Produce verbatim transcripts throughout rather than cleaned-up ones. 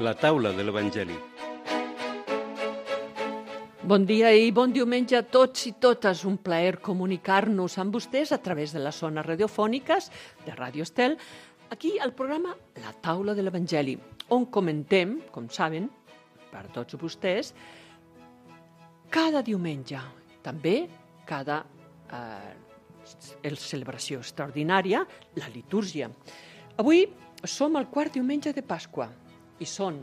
La taula de l'Evangeli. Bon dia i bon diumenge a tots i totes. Un plaer comunicar-nos amb vostès a través de les zones radiofòniques de Ràdio Estel, aquí al programa La taula de l'Evangeli, on comentem, com saben, per tots vostès, cada diumenge, també cada eh, celebració extraordinària, la litúrgia. Avui som al quart diumenge de Pasqua i són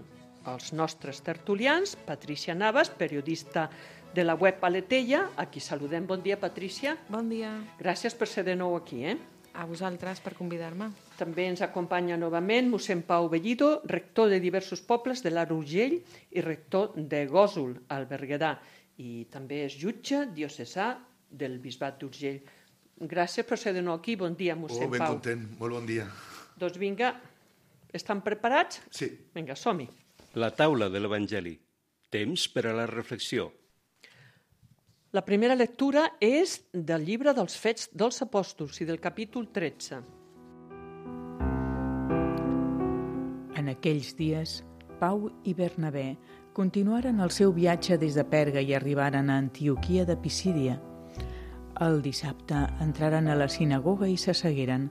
els nostres tertulians, Patrícia Navas, periodista de la web Aletella, a qui saludem. Bon dia, Patrícia. Bon dia. Gràcies per ser de nou aquí. Eh? A vosaltres per convidar-me. També ens acompanya novament mossèn Pau Bellido, rector de diversos pobles de l'Alt Urgell i rector de Gósol, al Berguedà. I també és jutge diocesà del Bisbat d'Urgell. Gràcies per ser de nou aquí. Bon dia, mossèn Oh, ben Pau. content. Molt bon dia. Doncs vinga, estan preparats? Sí. Vinga, som-hi. La taula de l'Evangeli. Temps per a la reflexió. La primera lectura és del llibre dels Fets dels Apòstols i del capítol tretze. En aquells dies, Pau i Bernabé continuaren el seu viatge des de Perga i arribaren a Antioquia de Pisídia. El dissabte entraren a la sinagoga i s'assegueren.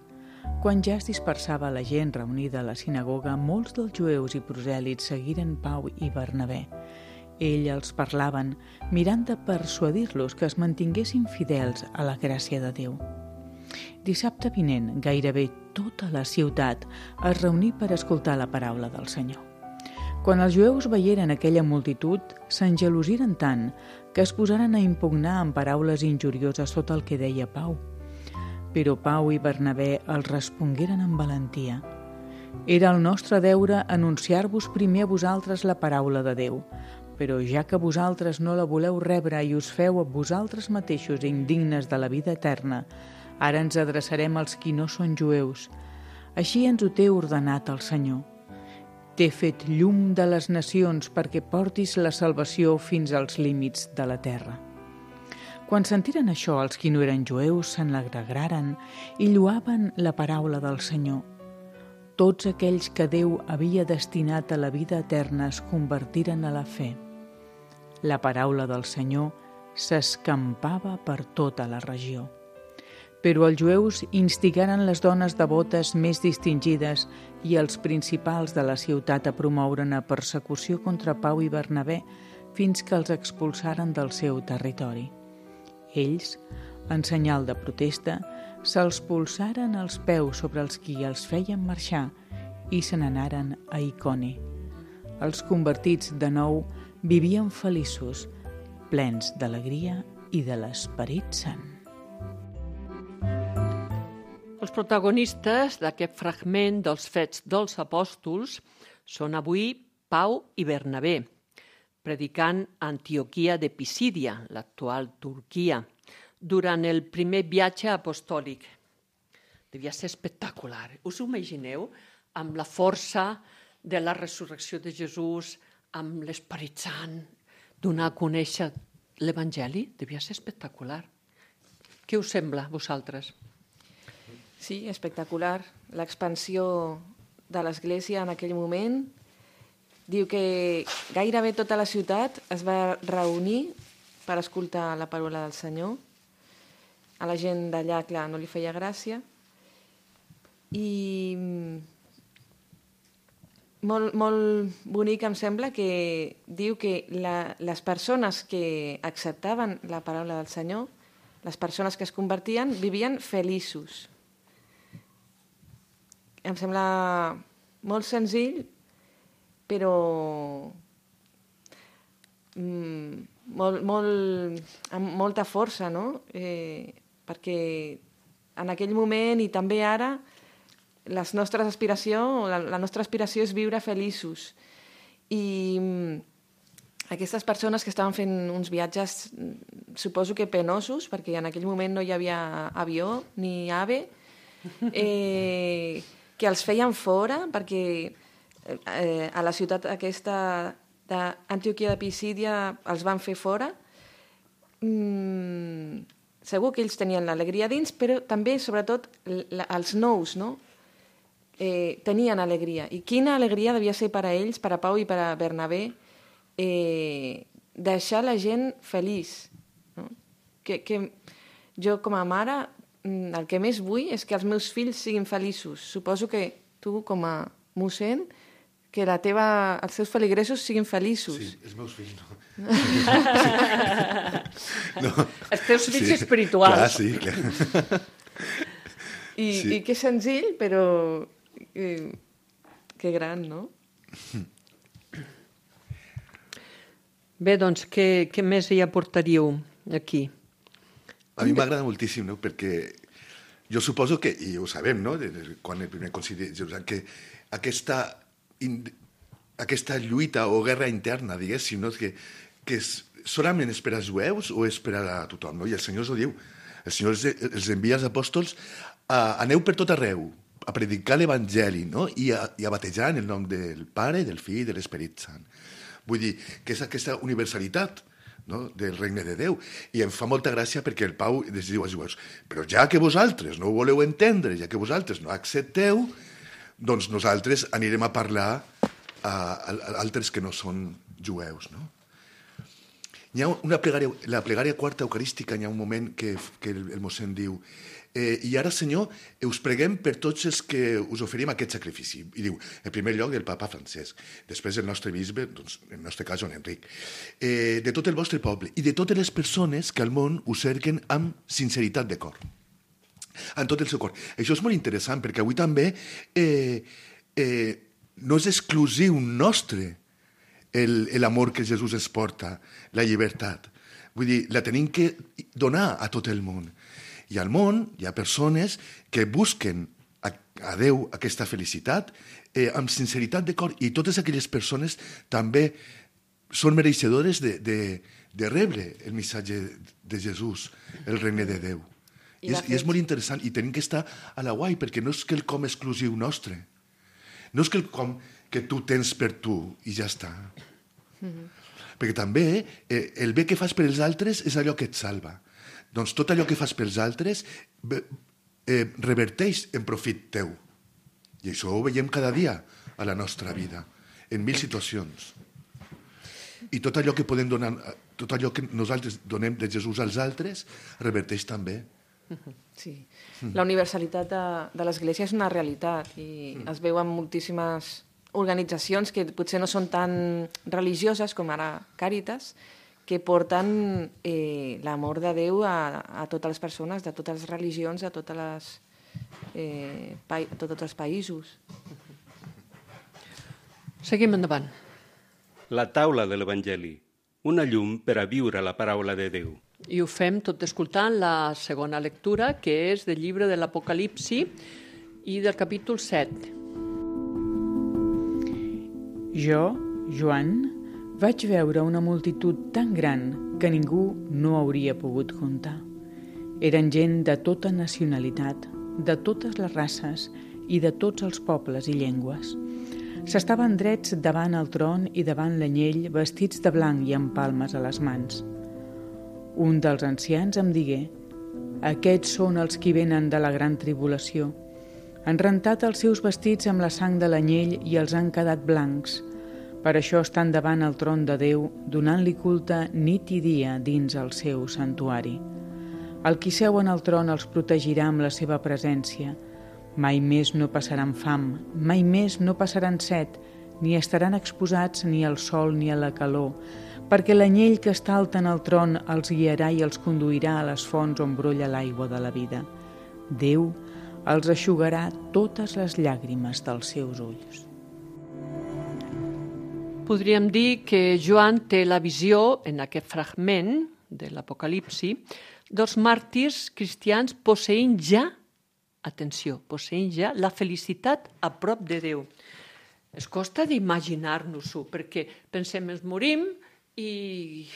Quan ja es dispersava la gent reunida a la sinagoga, molts dels jueus i prosèlits seguiren Pau i Bernabé. Ell els parlaven, mirant de persuadir-los que es mantinguessin fidels a la gràcia de Déu. Dissabte vinent, gairebé tota la ciutat es reuní per escoltar la paraula del Senyor. Quan els jueus veieren aquella multitud, s'engelosiren tant que es posaren a impugnar amb paraules injurioses tot el que deia Pau. Però Pau i Bernabé els respongueren amb valentia. Era el nostre deure anunciar-vos primer a vosaltres la paraula de Déu, però ja que vosaltres no la voleu rebre i us feu a vosaltres mateixos indignes de la vida eterna, ara ens adreçarem als qui no són jueus. Així ens ho té ordenat el Senyor. T'he fet llum de les nacions perquè portis la salvació fins als límits de la terra. Quan sentiren això, els qui no eren jueus se'n alegraren i lloaven la paraula del Senyor. Tots aquells que Déu havia destinat a la vida eterna es convertiren a la fe. La paraula del Senyor s'escampava per tota la regió. Però els jueus instigaren les dones devotes més distingides i els principals de la ciutat a promoure una persecució contra Pau i Bernabé fins que els expulsaren del seu territori. Ells, en senyal de protesta, se'ls polsaren els peus sobre els qui els feien marxar i se n'anaren a Iconi. Els convertits de nou vivien feliços, plens d'alegria i de l'Esperit Sant. Els protagonistes d'aquest fragment dels Fets dels Apòstols són avui Pau i Bernabé, predicant a Antioquia de Pisídia, l'actual Turquia, durant el primer viatge apostòlic. Devia ser espectacular. Us ho imagineu? Amb la força de la resurrecció de Jesús, amb l'Esperit Sant, donar a conèixer l'Evangeli? Devia ser espectacular. Què us sembla, vosaltres? Sí, espectacular. L'expansió de l'Església en aquell moment. Diu que gairebé tota la ciutat es va reunir per escoltar la paraula del Senyor. A la gent d'allà, clar, no li feia gràcia. I molt, molt bonic em sembla que diu que la, les persones que acceptaven la paraula del Senyor, les persones que es convertien, vivien feliços. Em sembla molt senzill, però mm, molt, molt, amb molta força, no? Eh, perquè en aquell moment i també ara les nostres aspiració, la, la nostra aspiració és viure feliços. I mm, aquestes persones que estaven fent uns viatges, suposo que penosos, perquè en aquell moment no hi havia avió ni AVE, eh, que els feien fora, perquè eh, a la ciutat aquesta d'Antioquia de Pisídia els van fer fora. Mm, segur que ells tenien l'alegria dins, però també, sobretot, la, els nous, no? eh, tenien alegria. I quina alegria devia ser per a ells, per a Pau i per a Bernabé, eh, deixar la gent feliç. No? Que, que jo, com a mare, el que més vull és que els meus fills siguin feliços. Suposo que tu, com a mossèn, que la teva, els teus feligresos siguin feliços. Sí, els meus fills no. no. Els teus fills sí, espirituals. Clar, sí, clar. I, sí. I que senzill, però eh, que gran, no? Bé, doncs, què, què més hi aportaríeu aquí? A mi m'agrada moltíssim, no? Perquè jo suposo que, i ho sabem, no? Quan el primer concili de Jerusalem, que aquesta, in, aquesta lluita o guerra interna, diguéssim, no? que, que és solament és per als jueus o és per a tothom, no? I el Senyor ho diu. El Senyor els, els envia als apòstols a, aneu per tot arreu, a predicar l'Evangeli, no? I a, i a batejar en el nom del Pare, del Fill i de l'Esperit Sant. Vull dir que és aquesta universalitat, no? Del regne de Déu. I em fa molta gràcia perquè el Pau els diu als jueus, però ja que vosaltres no ho voleu entendre, ja que vosaltres no accepteu, doncs nosaltres anirem a parlar a, a, a altres que no són jueus, no? Hi ha una plegària, la plegària quarta eucarística, hi ha un moment que, que el, el mossèn diu eh, i ara, Senyor, us preguem per tots els que us oferim aquest sacrifici. I diu, en primer lloc, del papa Francesc, després el nostre bisbe, doncs, en el nostre cas, Joan Enric, eh, de tot el vostre poble i de totes les persones que al món us cerquen amb sinceritat de cor. En tot el seu cor. Això és molt interessant, perquè avui també eh, eh, no és exclusiu nostre l'amor que Jesús ens porta, la llibertat. Vull dir, la tenim que donar a tot el món. I al món hi ha persones que busquen a, a Déu aquesta felicitat eh, amb sinceritat de cor, i totes aquelles persones també són mereixedores de, de, de rebre el missatge de Jesús, el regne de Déu. I, I, és, I és molt interessant, i tenim que estar a la guai, perquè no és quelcom exclusiu nostre. No és quelcom que tu tens per tu i ja està. Mm-hmm. Perquè també eh, el bé que fas per als altres és allò que et salva. Doncs tot allò que fas pels altres eh, reverteix en profit teu. I això ho veiem cada dia a la nostra vida, en mil situacions. I tot allò que podem donar, tot allò que nosaltres donem de Jesús als altres, reverteix també. Sí. La universalitat de, de l'Església és una realitat i mm. es veu en moltíssimes organitzacions que potser no són tan religioses com ara Càritas, que porten eh, l'amor de Déu a, a totes les persones, de totes les religions, a, totes les, eh, pa, a tots els països. Seguim endavant. La taula de l'Evangeli, una llum per a viure la paraula de Déu. I ho fem tot escoltant la segona lectura, que és del llibre de l'Apocalipsi i del capítol set. Jo, Joan, vaig veure una multitud tan gran que ningú no hauria pogut comptar. Eren gent de tota nacionalitat, de totes les races i de tots els pobles i llengües. S'estaven drets davant el tron i davant l'anyell, vestits de blanc i amb palmes a les mans. Un dels ancians em digué: aquests són els qui venen de la gran tribulació. Han rentat els seus vestits amb la sang de l'anyell i els han quedat blancs. Per això estan davant el tron de Déu, donant-li culte nit i dia dins el seu santuari. El qui seu en el tron els protegirà amb la seva presència. Mai més no passaran fam, mai més no passaran set, ni estaran exposats ni al sol ni a la calor, perquè l'anyell que està alt en el tron els guiarà i els conduirà a les fonts on brolla l'aigua de la vida. Déu els eixugarà totes les llàgrimes dels seus ulls. Podríem dir que Joan té la visió, en aquest fragment de l'Apocalipsi, dels màrtirs cristians posseint ja, atenció, posseint ja la felicitat a prop de Déu. Es costa d'imaginar-nos-ho, perquè pensem, ens morim i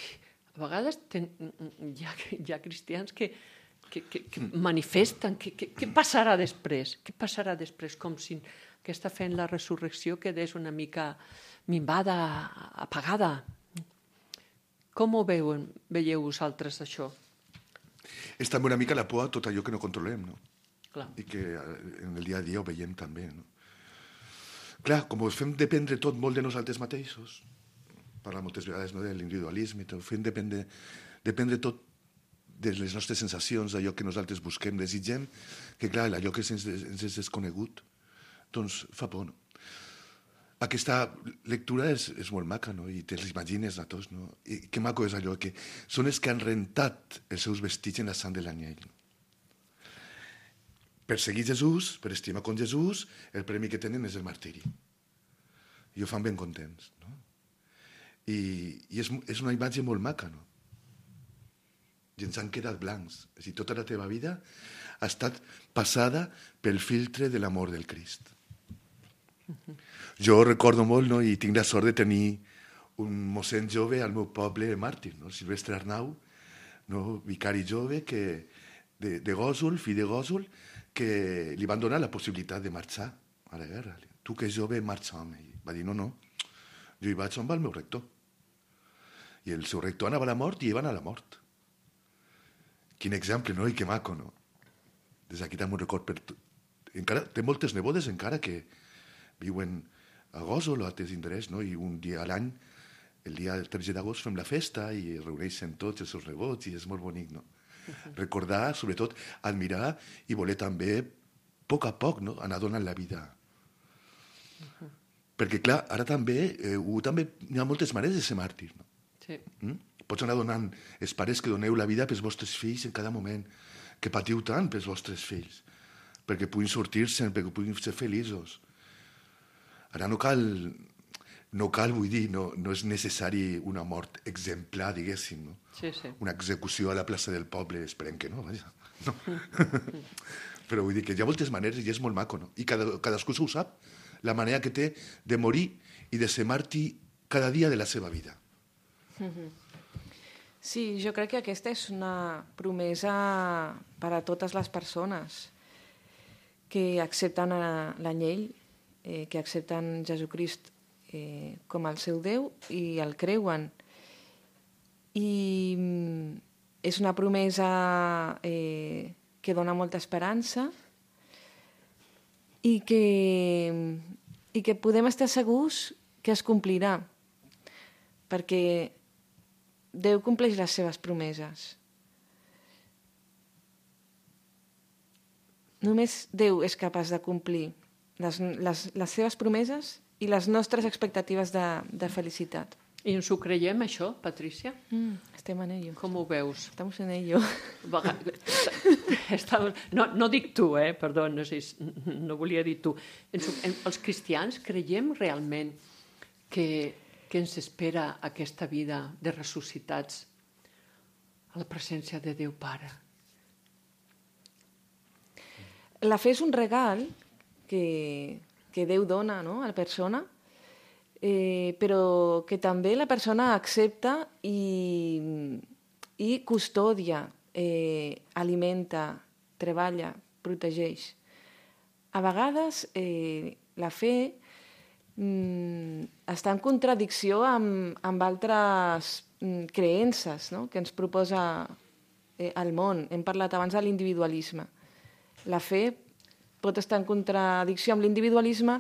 a vegades ten, hi, ha, hi ha cristians que, que, que, que manifesten què que, que passarà després, què passarà després, com si aquesta fe en la resurrecció quedés una mica minvada, apagada. Com ho veuen, veieu vosaltres això? És també una mica la por a tot allò que no controlem, no? Clar. I que en el dia a dia ho veiem també, no? clar, com ho fem dependre tot molt de nosaltres mateixos, parla moltes vegades, no, de l'individualisme, ho fem dependre, dependre tot de les nostres sensacions, d'allò que nosaltres busquem, desitgem, que clar, allò que ens, ens és desconegut, doncs fa por, no? Aquesta lectura és, és molt maca, no? I te l'imagines a tots, no? I que maco és allò, que són els que han rentat els seus vestits en la sang de l'anyell. Per seguir Jesús, per estimar com Jesús, el premi que tenen és el martiri. I ho fan ben contents, no? I, i és, és una imatge molt maca, no? I ens han quedat blancs. És a dir, tota la teva vida ha estat passada pel filtre de l'amor del Crist. Uh-huh. Jo recordo molt, no, i tinc la sort de tenir un mossèn jove al meu poble màrtir, no? Silvestre Arnau, no? Vicari jove que, de, de Gòsol, fill de Gòsol, que li van donar la possibilitat de marxar a la guerra. Tu que és jove, marxa amb ell. Va dir, no, no, jo hi vaig amb el meu rector. I el seu rector anava a la mort i ell va anar a la mort. Quin exemple, no? I que maco, no? Des d'aquí també un record per tot. Encara, té moltes nebodes encara que viuen a Gòsol o a altres indrets, no? I un dia a l'any, el dia del tretze d'agost, fem la festa i es reuneixen tots els seus nebots i és molt bonic, no? Uh-huh. Recordar, sobretot, admirar i voler també, a poc a poc, no? Anar donant la vida. Uh-huh. Perquè, clar, ara també, eh, també hi ha moltes maneres de ser màrtir, no? Sí. Mm? Pots anar donant els pares que doneu la vida pels vostres fills en cada moment, que patiu tant pels vostres fills, perquè puguin sortir-se'n, perquè puguin ser feliços. Ara no cal, no cal, vull dir, no, no és necessari una mort exemplar, diguéssim, no? Sí, sí. Una execució a la plaça del poble, esperem que no, vaja. No. Però vull dir que hi ha moltes maneres i és molt maco, no? I cada, cadascú s'ho sap, la manera que té de morir i de ser màrtir cada dia de la seva vida. Sí, jo crec que aquesta és una promesa per a totes les persones que accepten l'anyell, eh, que accepten Jesucrist eh, com el seu Déu i el creuen. I és una promesa eh, que dona molta esperança i que, i que podem estar segurs que es complirà, perquè Déu compleix les seves promeses. Només Déu és capaç de complir les, les, les seves promeses i les nostres expectatives de, de felicitat. I ens ho creiem, això, Patrícia? Mm, estem en ello. Com ho veus? Estamos en ello. No, no dic tu, eh? Perdó, no, sé, no volia dir tu. Els cristians creiem realment que, que ens espera aquesta vida de ressuscitats a la presència de Déu Pare. La fe és un regal que, que Déu dona, no?, a la persona, eh, però que també la persona accepta i, i custodia, eh, alimenta, treballa, protegeix. A vegades eh, la fe mm, està en contradicció amb, amb altres mm, creences, no?, que ens proposa eh, el món. Hem parlat abans de l'individualisme. La fe pot estar en contradicció amb l'individualisme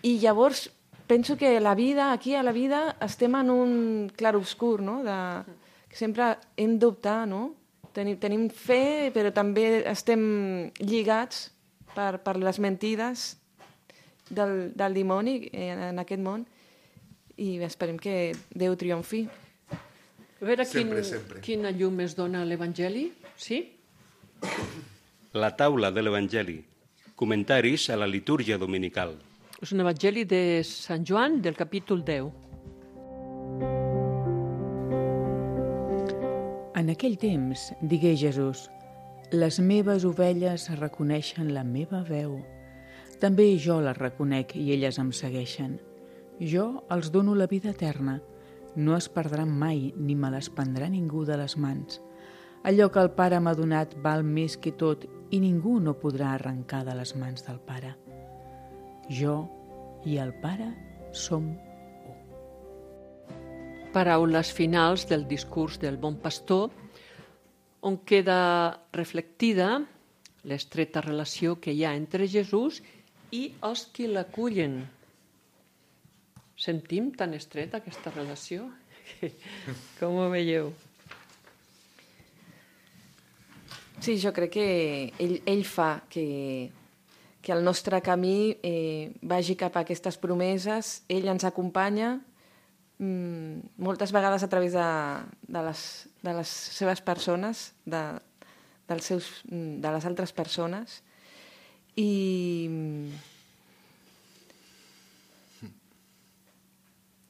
i llavors penso que la vida, aquí a la vida, estem en un clarobscur, no?, de, que sempre hem d'optar, no? Tenim, tenim fe, però també estem lligats per, per les mentides del, del dimoni en, en aquest món i esperem que Déu triomfi. A veure quin, Sempre, sempre. quina llum es dona a l'Evangeli, sí? La taula de l'Evangeli. Comentaris a la litúrgia dominical. És un Evangeli de Sant Joan, del capítol deu. En aquell temps digué Jesús: les meves ovelles reconeixen la meva veu. També jo les reconec i elles em segueixen. Jo els dono la vida eterna. No es perdran mai ni me les prendrà ningú de les mans. Allò que el Pare m'ha donat val més que tot i ningú no podrà arrencar de les mans del Pare. Jo i el Pare som u. Paraules finals del discurs del bon pastor, on queda reflectida l'estreta relació que hi ha entre Jesús i els qui l'acullen, sentim tan estreta aquesta relació. Com ho veieu? Sí, jo crec que ell, ell fa que, que el nostre camí eh, vagi cap a aquestes promeses, ell ens acompanya mm, moltes vegades a través de, de, les, de les seves persones, de, dels seus, de les altres persones, i,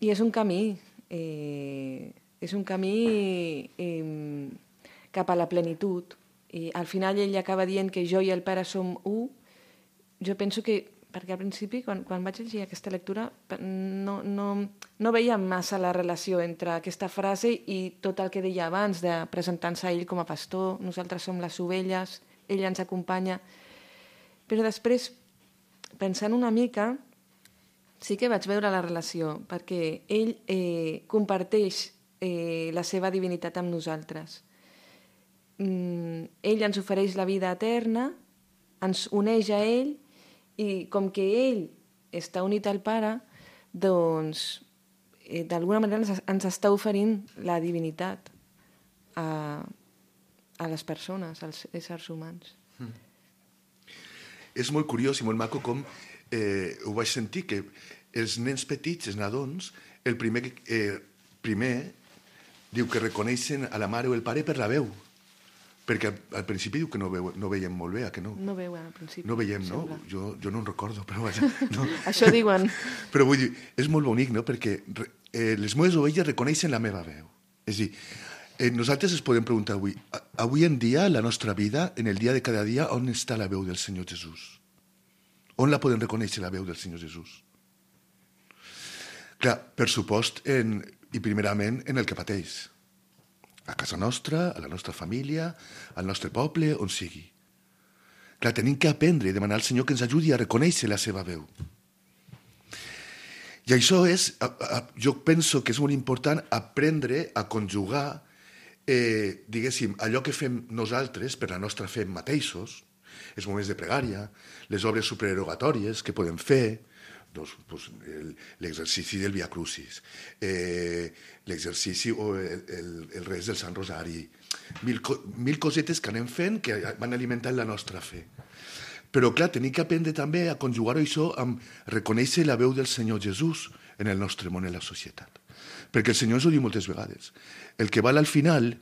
i és un camí, eh, és un camí eh, cap a la plenitud. I al final ell acaba dient que jo i el Pare som u. Jo penso que, perquè al principi, quan, quan vaig llegir aquesta lectura, no, no, no veia massa la relació entre aquesta frase i tot el que deia abans, de presentar-se a ell com a pastor, nosaltres som les ovelles, ell ens acompanya. Però després, pensant una mica, sí que vaig veure la relació, perquè ell eh, comparteix eh, la seva divinitat amb nosaltres. Mm, ell ens ofereix la vida eterna, ens uneix a ell, i com que ell està unit al Pare, doncs eh, d'alguna manera ens, ens està oferint la divinitat a, a les persones, als éssers humans. Mm. És molt curiós i molt maco com eh, ho vaig sentir, que els nens petits, els nadons, el primer, eh, primer diu que reconeixen a la mare o el pare per la veu. Perquè al, al principi diu que no, veu, no veiem molt bé, a que no? No veuen al principi. No veiem, no? Jo, jo no en recordo, però vaja. No. Això diuen. Però vull dir, és molt bonic, no? Perquè eh, les meves ovelles reconeixen la meva veu. És a dir, eh, nosaltres es podem preguntar avui, avui en dia, la nostra vida, en el dia de cada dia, on està la veu del Senyor Jesús? On la podem reconèixer, la veu del Senyor Jesús? Clar, per supost, en, i primerament en el que pateix. A casa nostra, a la nostra família, al nostre poble, on sigui. Clar, tenim que aprendre i demanar al Senyor que ens ajudi a reconèixer la seva veu. I això és, a, a, jo penso que és molt important aprendre a conjugar, eh, diguéssim, allò que fem nosaltres per la nostra fe mateixos, els moments de pregària, les obres supererogatòries que podem fer, doncs, doncs, l'exercici del Via Crucis, eh, l'exercici o el, el, el res del Sant Rosari, mil, mil cosetes que anem fent que van alimentant la nostra fe. Però, clar, tenim que aprendre també a conjugar això amb reconèixer la veu del Senyor Jesús en el nostre món, en la societat. Perquè el Senyor ens ho diu moltes vegades. El que val al final,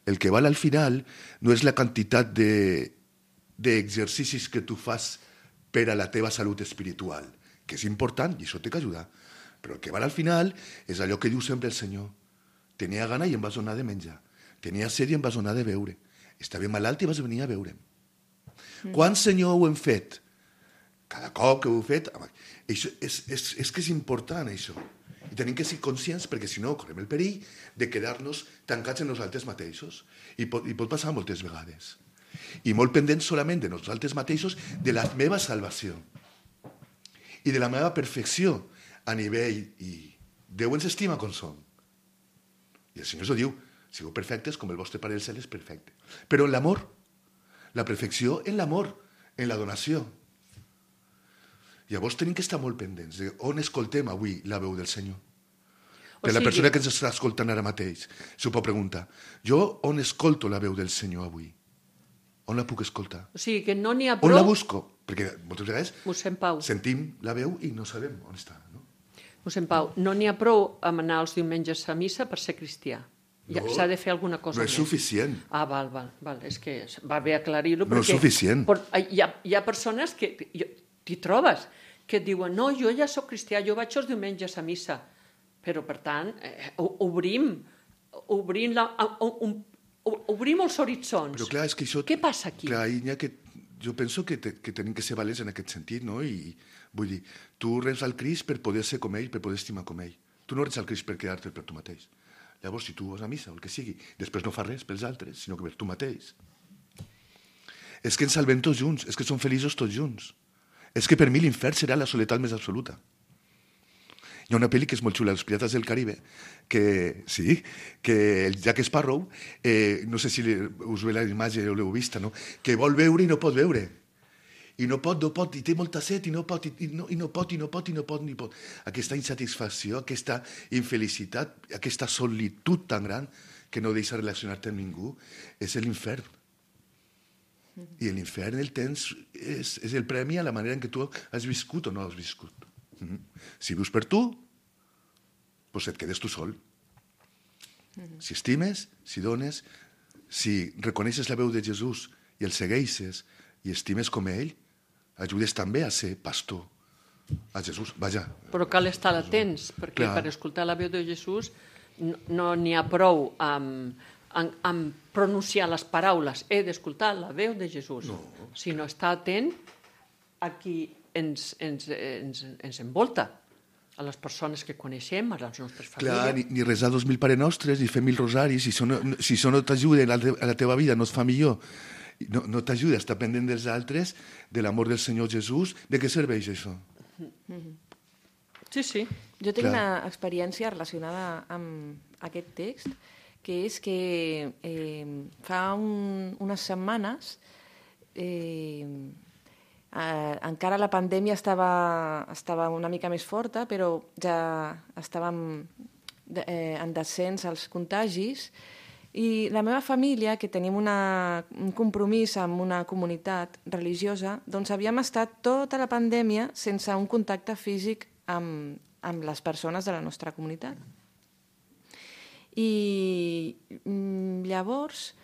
el que val al final no és la quantitat de, d'exercicis que tu fas per a la teva salut espiritual, que és important i això té que ajudar. Però el que val al final és allò que diu sempre el Senyor. Tenia gana i em vas donar de menjar. Tenia set i em vas donar de beure. Estava malalt i vas venir a veure'm. Mm. Quan, Senyor, ho hem fet? Cada cop que ho heu fet... Això és, és, és que és important, això. I tenim que ser conscients, perquè si no correm el perill de quedar-nos tancats en nosaltres mateixos. I pot, i pot passar moltes vegades. I molt pendents solament de nosaltres mateixos, de la meva salvació i de la meva perfecció a nivell, i Déu ens estima com som. I el Senyor ens ho diu, sigueu perfectes com el vostre Pare del Cel és perfecte. Però en l'amor, la perfecció en l'amor, en la donació. Llavors tenim que estar molt pendents de on escoltem avui la veu del Senyor. Per la persona que ens està escoltant ara mateix s'ho pot preguntar, jo on escolto la veu del Senyor avui? On la puc escoltar? O sigui, que no n'hi ha prou... On la busco? Perquè moltes vegades Mossèn Pau. sentim la veu i no sabem on està. No? Mossèn Pau, no n'hi ha prou amb anar els diumenges a missa per ser cristià. Ja, No, s'ha de fer alguna cosa no és més. suficient. Ah, val, val, val. És que va bé aclarir-ho. No és perquè suficient. Por, hi, ha, hi ha persones que t'hi trobes, que et diuen, no, jo ja sóc cristià, jo vaig els diumenges a missa. Però, per tant, eh, obrim, obrim, la, un, obrim els horitzons. Però clar, és que això... Què passa aquí? Clar, ha que, jo penso que, te, que tenim que ser valents en aquest sentit, no? I vull dir, tu reps al Crist per poder ser com ell, per poder estimar com ell. Tu no reps al Crist per quedar-te per tu mateix. Llavors, si tu vas a missa o el que sigui, després no fas res pels altres, sinó que per tu mateix. És que ens salvem tots junts, és que som feliços tots junts. És que per mi l'infern serà la soledat més absoluta. Hi ha una pel·li que és molt xula, Els Pirates del Caribe, que sí, que el Jack Sparrow, eh, no sé si us ve la imatge o l'heu vista, no? Que vol veure i no pot veure. i no pot, no pot, i té molta set, i no pot, i no, i no pot, i no pot, i no pot, ni pot. Aquesta insatisfacció, aquesta infelicitat, aquesta solitud tan gran que no deixa relacionar-te amb ningú, és l'infern. I l'infern el tens, és, és el premi a la manera en què tu has viscut o no has viscut. Mm-hmm. Si vius per tu, doncs et quedes tu sol. Mm-hmm. Si estimes, si dones, si reconeixes la veu de Jesús i el segueixes i estimes com ell, ajudes també a ser pastor a Jesús. Vaja. Però cal estar atents, perquè Clar. per escoltar la veu de Jesús no, no n'hi ha prou amb, amb, amb pronunciar les paraules. He d'escoltar la veu de Jesús. No. Sinó estar atent a qui ens, ens, ens, ens envolta, a les persones que coneixem, a les nostres famílies. Clar, ni, ni resar dos mil Pare Nostres, ni fer mil rosaris, si això no, si això no t'ajuda a, la, a la teva vida, no es fa millor, no, no t'ajuda a estar pendent dels altres, de l'amor del Senyor Jesús, de què serveix això? Sí, sí. Jo tinc Clar. una experiència relacionada amb aquest text, que és que eh, fa un, unes setmanes eh, eh, encara la pandèmia estava, estava una mica més forta, però ja estàvem de, eh, en descens als contagis, i la meva família, que tenim una, un compromís amb una comunitat religiosa, doncs havíem estat tota la pandèmia sense un contacte físic amb, amb les persones de la nostra comunitat. I mm, llavors,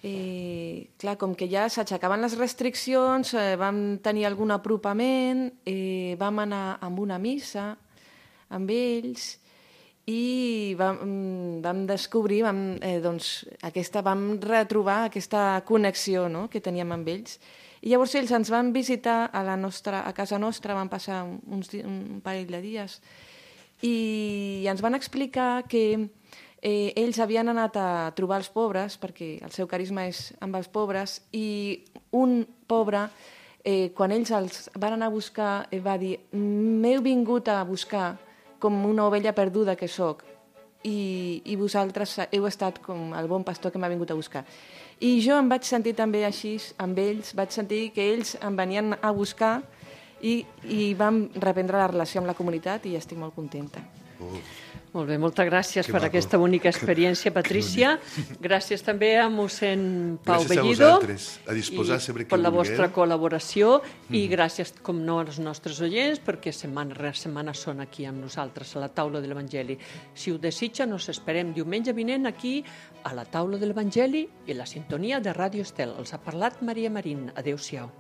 eh, clar, com que ja s'aixecaven les restriccions, eh, vam tenir algun apropament, eh, vam anar amb una missa amb ells, i vam, vam descobrir, vam, eh, doncs, aquesta, vam retrobar aquesta connexió, no?, que teníem amb ells. I llavors ells ens van visitar a, la nostra, a casa nostra, van passar uns, un parell de dies, i ens van explicar que eh, ells havien anat a trobar els pobres, perquè el seu carisma és amb els pobres, i un pobre, eh, quan ells els van anar a buscar, eh, va dir: m'heu vingut a buscar com una ovella perduda que sóc, i, i vosaltres heu estat com el bon pastor que m'ha vingut a buscar. I jo em vaig sentir també així amb ells, vaig sentir que ells em venien a buscar, i, i vam reprendre la relació amb la comunitat, i estic molt contenta. Oh. Molt bé, moltes gràcies Que per maco. aquesta bonica experiència, Patrícia. Gràcies també a mossèn Pau Gràcies a Bellido. vosaltres, a disposar sempre que per la vulgueu. vostra col·laboració, i gràcies, com no, als nostres oients, perquè setmana rere setmana són aquí amb nosaltres, a la taula de l'Evangeli. Si ho desitgen, us esperem diumenge vinent aquí, a la taula de l'Evangeli, i la sintonia de Ràdio Estel. Els ha parlat Maria Marín. Adéu-siau.